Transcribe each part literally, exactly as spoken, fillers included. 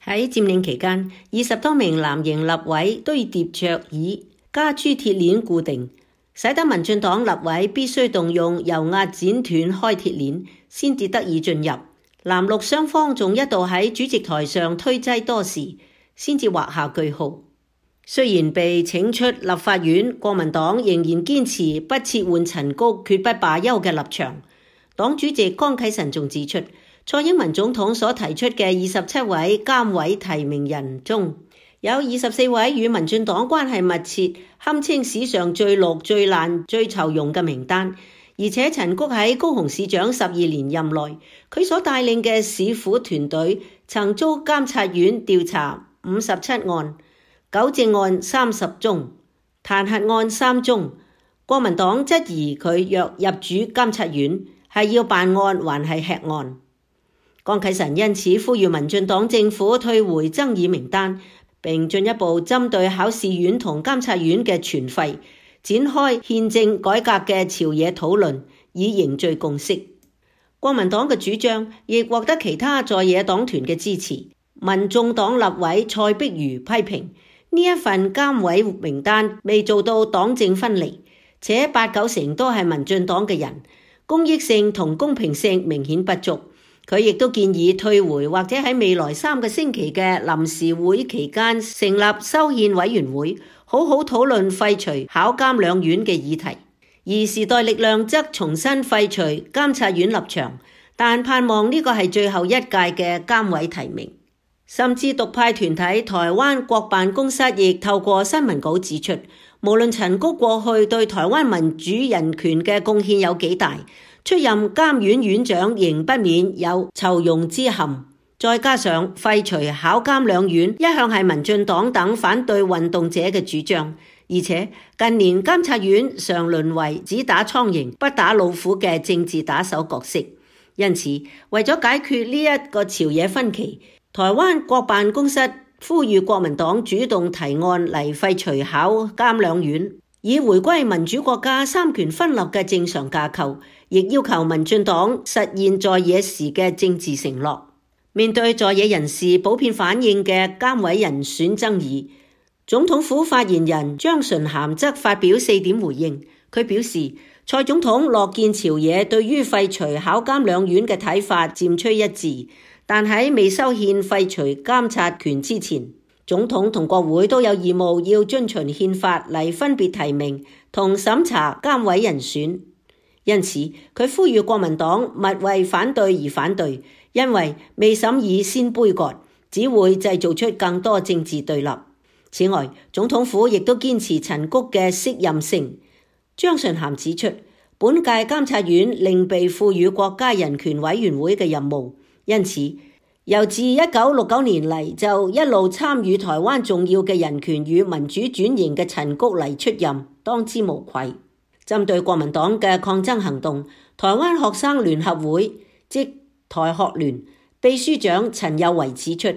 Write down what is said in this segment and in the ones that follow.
喺佔領期間，二十多名藍營立委堆疊桌椅，加諸鐵鏈固定，使得民進黨立委必須動用油壓剪斷開鐵鏈，先至得以進入。藍綠雙方仲一度喺主席台上推擠多時，先至畫下句號。雖然被請出立法院，國民黨仍然堅持不撤換陳菊，決不罷休嘅立場。黨主席江啟臣仲指出，蔡英文總統所提出嘅二十七位監委提名人中，有二十四位與民進黨關係密切，堪稱史上最綠、最爛、最酬庸嘅名單。而且陳菊喺高雄市長十二年任內，佢所帶領嘅市府團隊曾遭監察院調查五十七案，糾正案三十宗，彈劾案三宗。國民黨質疑佢若入主監察院，係要辦案還係吃案？江啟臣因此呼籲民進黨政府退回爭議名單，並進一步針對考試院同監察院嘅存廢，展開憲政改革嘅朝野討論，以凝聚共識。國民黨嘅主張亦獲得其他在野黨團嘅支持。民眾黨立委蔡碧如批評呢一份監委名單未做到黨政分離，且八九成都係民進黨嘅人，公益性同公平性明顯不足。佢亦都建議退回或者喺未來三個星期嘅臨時會期間成立修憲委員會，好好討論廢除考監兩院嘅議題。而時代力量則重新廢除監察院立場，但盼望呢個係最後一屆嘅監委提名。甚至獨派團體台灣國辦公室亦透過新聞稿指出，無論陳菊過去對台灣民主人權嘅貢獻有幾大，出任監院院長仍不免有酬庸之嫌，再加上廢除考監兩院一向係民進黨等反對運動者嘅主張，而且近年監察院常淪為只打蒼蠅不打老虎嘅政治打手角色，因此為咗解決呢一個朝野分歧，台灣國辦公室呼籲國民黨主動提案嚟廢除考監兩院，以回歸民主國家三權分立嘅正常架構，亦要求民進黨實現在野時嘅政治承諾。面對在野人士普遍反映嘅監委人選爭議，總統府發言人張純涵則發表四點回應。佢表示，蔡總統樂見朝野對於廢除考監兩院嘅睇法漸趨一致，但喺未修憲廢除監察權之前，總統同國會都有義務要遵循憲法嚟分別提名同審查監委人選。因此，佢呼籲國民黨勿為反對而反對，因為未審議先杯葛，只會製造出更多政治對立。此外，總統府亦都堅持陳菊嘅適任性。張純涵指出，本屆監察院另被賦予國家人權委員會嘅任務，因此由自一九六九年嚟就一路參與台灣重要嘅人權與民主轉型嘅陳菊嚟出任，當之無愧。針對國民黨嘅抗爭行動，台灣學生聯合會即台學聯秘書長陳有為指出，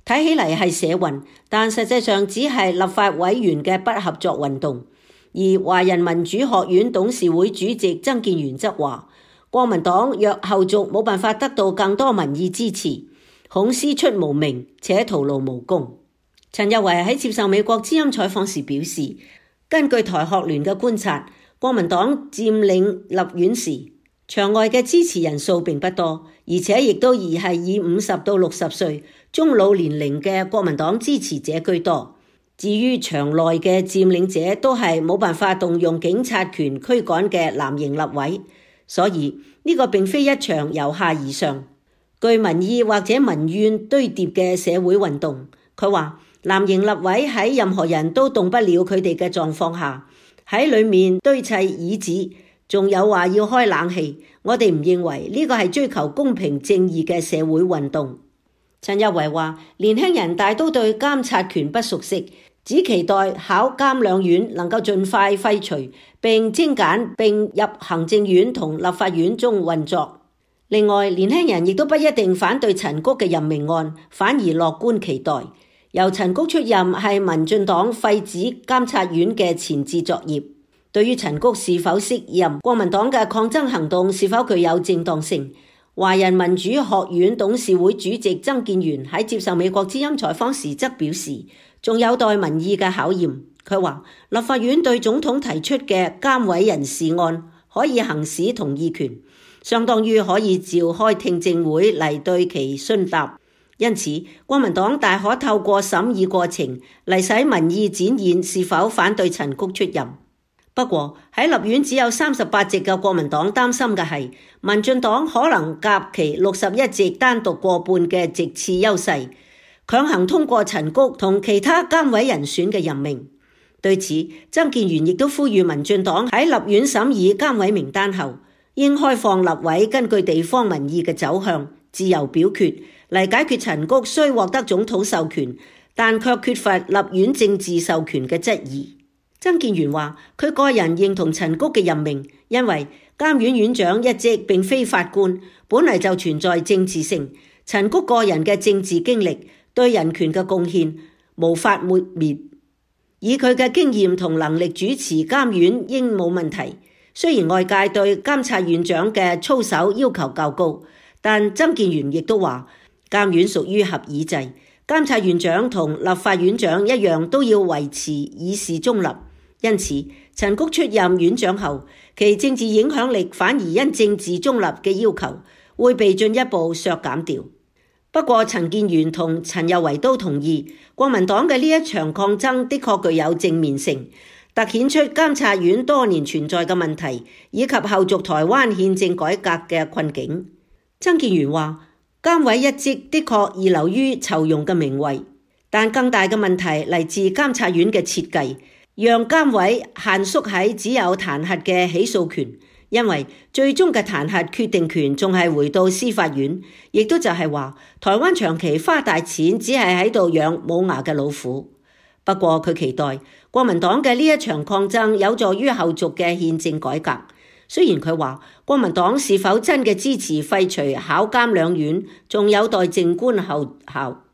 睇起嚟係社運，但實際上只係立法委員嘅不合作運動。而華人民主學院董事會主席曾建元則話，國民黨若後續冇辦法得到更多民意支持，恐師出無名且徒勞無功。陳有為喺接受美國之音採訪時表示，根據台學聯嘅觀察，國民黨佔領立院時，場外嘅支持人數並不多，而且亦都而係以五十到六十歲中老年齡嘅國民黨支持者居多。至於場內嘅佔領者都係冇辦法動用警察權驅趕嘅藍營立委，所以呢個並非一場由下而上、據民意或者民怨堆疊嘅社會運動。佢話藍營立委喺任何人都動不了佢哋嘅狀況下，喺裏面堆砌椅子，仲有話要開冷氣，我哋唔認為呢個係追求公平正義嘅社會運動。陳有為話，年輕人大都對監察權不熟悉，只期待考監兩院能夠盡快廢除並精簡並入行政院同立法院中運作。另外，年輕人亦都不一定反對陳菊嘅任命案，反而樂觀期待由陳菊出任係民進黨廢止監察院嘅前置作業。對於陳菊是否適任，國民黨嘅抗爭行動是否具有正當性，華人民主學院董事會主席曾建元喺接受美國之音採訪時則表示，仲有待民意嘅考驗。佢話立法院對總統提出嘅監委人事案可以行使同意權，相當於可以召開聽證會嚟對其詢答。因此，國民黨大可透過審議過程嚟使民意展現是否反對陳菊出任。不過喺立院只有三十八席嘅國民黨擔心嘅係，民進黨可能夾其六十一席單獨過半嘅席次優勢，強行通過陳菊同其他監委人選嘅任命。對此，曾建元亦都呼籲民進黨喺立院審議監委名單後，應開放立委根據地方民意嘅走向自由表決，嚟解決陳菊雖獲得總統授權，但卻缺乏立院政治授權嘅質疑。曾建元話：佢個人認同陳菊嘅任命，因為監院院長一職並非法官，本嚟就存在政治性。陳菊個人嘅政治經歷對人權嘅貢獻無法抹滅，以佢嘅經驗同能力主持監院應冇問題。雖然外界對監察院長嘅操守要求較高，但曾建元亦都話，監院屬於合議制，監察院長同立法院長一樣都要維持議事中立。因此，陳菊出任院長後，其政治影響力反而因政治中立嘅要求會被進一步削減掉。不過，陳建元同陳宥維都同意，國民黨嘅呢一場抗爭的確具有正面性，凸顯出監察院多年存在嘅問題，以及後續台灣憲政改革嘅困境。曾建元話：監委一職的確易流於酬庸嘅名位，但更大嘅問題嚟自監察院嘅設計，讓監委限縮喺只有彈劾嘅起訴權，因為最終嘅彈劾決定權仲係回到司法院，亦都就係話台灣長期花大錢只係喺度養冇牙嘅老虎。不過佢期待國民黨嘅呢一場抗爭有助於後續嘅憲政改革。雖然佢話國民黨是否真嘅支持廢除考監兩院，仲有待靜觀後效。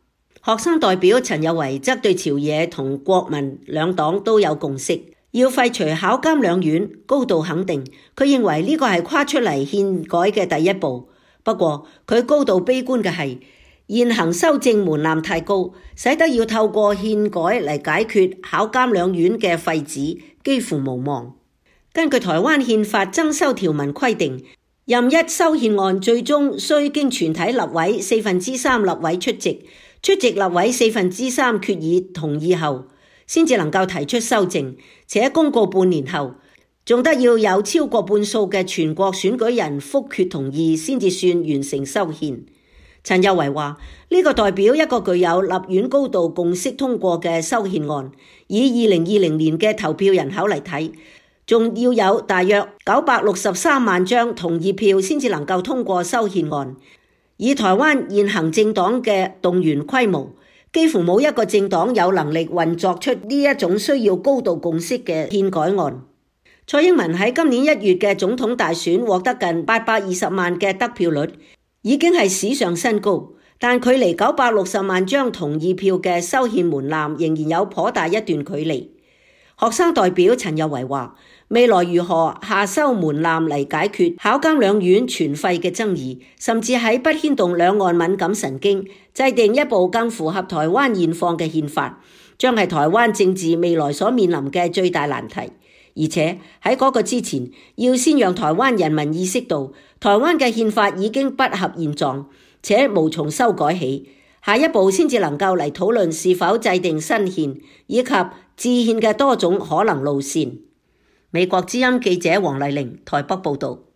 學生代表陳宥維則對朝野同國民兩黨都有共識，要廢除考監兩院，高度肯定。佢認為呢個係跨出嚟憲改嘅第一步。不過佢高度悲觀嘅係現行修正門檻太高，使得要透過憲改嚟解決考監兩院嘅廢止幾乎無望。根據台灣憲法增修條文規定，任一修憲案最終須經全體立委四分之三立委出席，出席立委四分之三決議同意後，先至能夠提出修正，且公告半年後，仲得要有超過半數嘅全國選舉人覆決同意，先至算完成修憲。陳宥維話：呢、這個代表一個具有立院高度共識通過嘅修憲案，以二零二零年嘅投票人口嚟睇，仲要有大約九百六十三萬張同意票先至能夠通過修憲案。以台灣現行政黨嘅動員規模，幾乎冇一個政黨有能力運作出呢一種需要高度共識嘅憲改案。蔡英文喺今年一月嘅總統大選獲得近八百二十萬嘅得票率，已經係史上新高，但距離九百六十萬張同意票嘅修憲門檻仍然有頗大一段距離。學生代表陳宥維話：未來如何下修門檻嚟解決考監兩院全廢嘅爭議，甚至喺不牽動兩岸敏感神經，制定一部更符合台灣現況嘅憲法，將係台灣政治未來所面臨嘅最大難題。而且喺嗰個之前，要先讓台灣人民意識到，台灣嘅憲法已經不合現狀，且無從修改起。下一步先至能夠嚟討論是否制定新憲，以及制憲嘅多種可能路線。美國之音記者黃麗玲台北報道。